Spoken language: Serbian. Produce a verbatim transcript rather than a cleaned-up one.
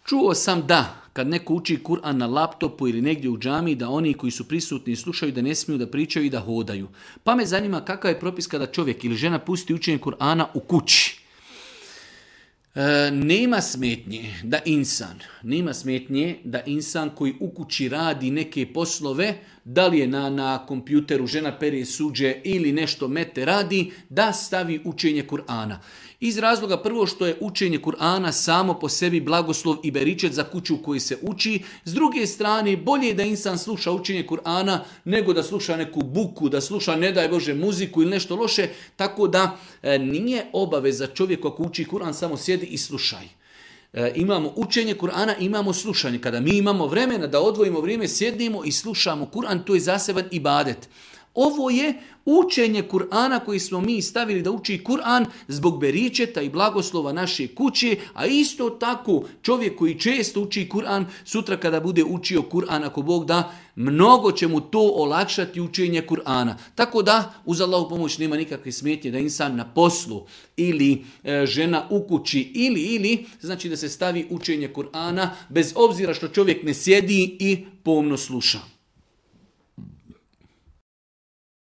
Čuo sam da kad neko uči Kur'an na laptopu ili negdje u džamiji, da oni koji su prisutni slušaju da ne smiju da pričaju i da hodaju. Pa me zanima kakav je propis kada čovjek ili žena pusti učenje Kur'ana u kući. E, nema smetnje da insan, nema smetnje da insan koji u kući radi neke poslove, da li je na, na kompjuteru, žena pere suđe ili nešto mete radi, da stavi učenje Kur'ana. Iz razloga prvo što je učenje Kur'ana samo po sebi blagoslov i beričet za kuću u kojoj se uči. S druge strane, bolje je da insan sluša učenje Kur'ana nego da sluša neku buku, da sluša ne daj Bože muziku ili nešto loše. Tako da e, nije obaveza čovjeku ako uči Kur'an samo sjedi i slušaj. E, imamo učenje Kur'ana, imamo slušanje. Kada mi imamo vremena da odvojimo vrijeme, sjednemo i slušamo Kur'an, to je zaseban ibadet. Ovo je učenje Kur'ana koji smo mi stavili da uči Kur'an zbog beričeta i blagoslova naše kuće, a isto tako čovjek koji često uči Kur'an, sutra kada bude učio Kur'an, ako Bog da, mnogo će mu to olakšati učenje Kur'ana. Tako da, uz Allahu pomoć nema nikakve smetnje da insan na poslu ili e, žena u kući ili, ili, znači da se stavi učenje Kur'ana bez obzira što čovjek ne sjedi i pomno sluša.